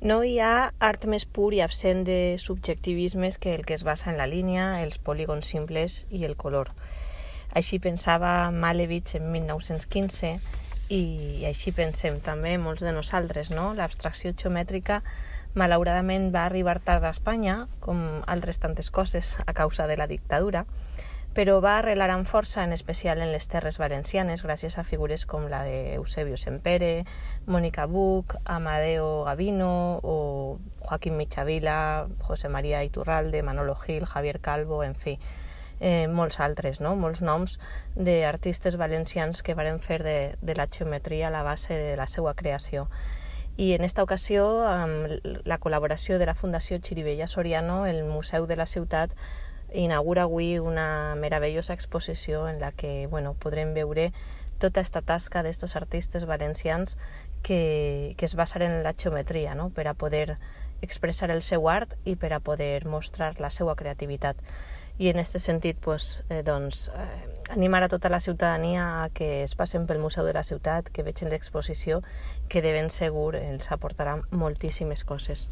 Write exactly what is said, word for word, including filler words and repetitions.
No hi ha art més pur i absent de subjectivismes que el que es basa en la línia, els polígons simples i el color. Així pensava Malevich en mil nou-cents quinze i així pensem també molts de nosaltres, no? L'abstracció geomètrica malauradament va arribar tard a Espanya, com altres tantes coses a causa de la dictadura, però va arrelar amb força, en especial en les terres valencianes, gràcies a figures com la de Eusebio Sempere, Mónica Buch, Amadeo Gavino o Joaquín Michavila, José María Iturralde, Manolo Gil, Javier Calvo, en fi, eh, molts altres, no? Molts noms d'artistes valencians que varen fer de, de la geometria la base de la seva creació. I en esta ocasió, amb la col·laboració de la Fundació Xirivella Soriano, el Museu de la Ciutat inaugura avui una meravellosa exposició en la que bueno, podrem veure tota aquesta tasca d'estos artistes valencians que, que es basen en la geometria, no? Per a poder expressar el seu art i per a poder mostrar la seva creativitat. I en aquest sentit, pues, eh, doncs, eh, animar a tota la ciutadania a que es passen pel Museu de la Ciutat, que vegin l'exposició, que de ben segur els aportarà moltíssimes coses.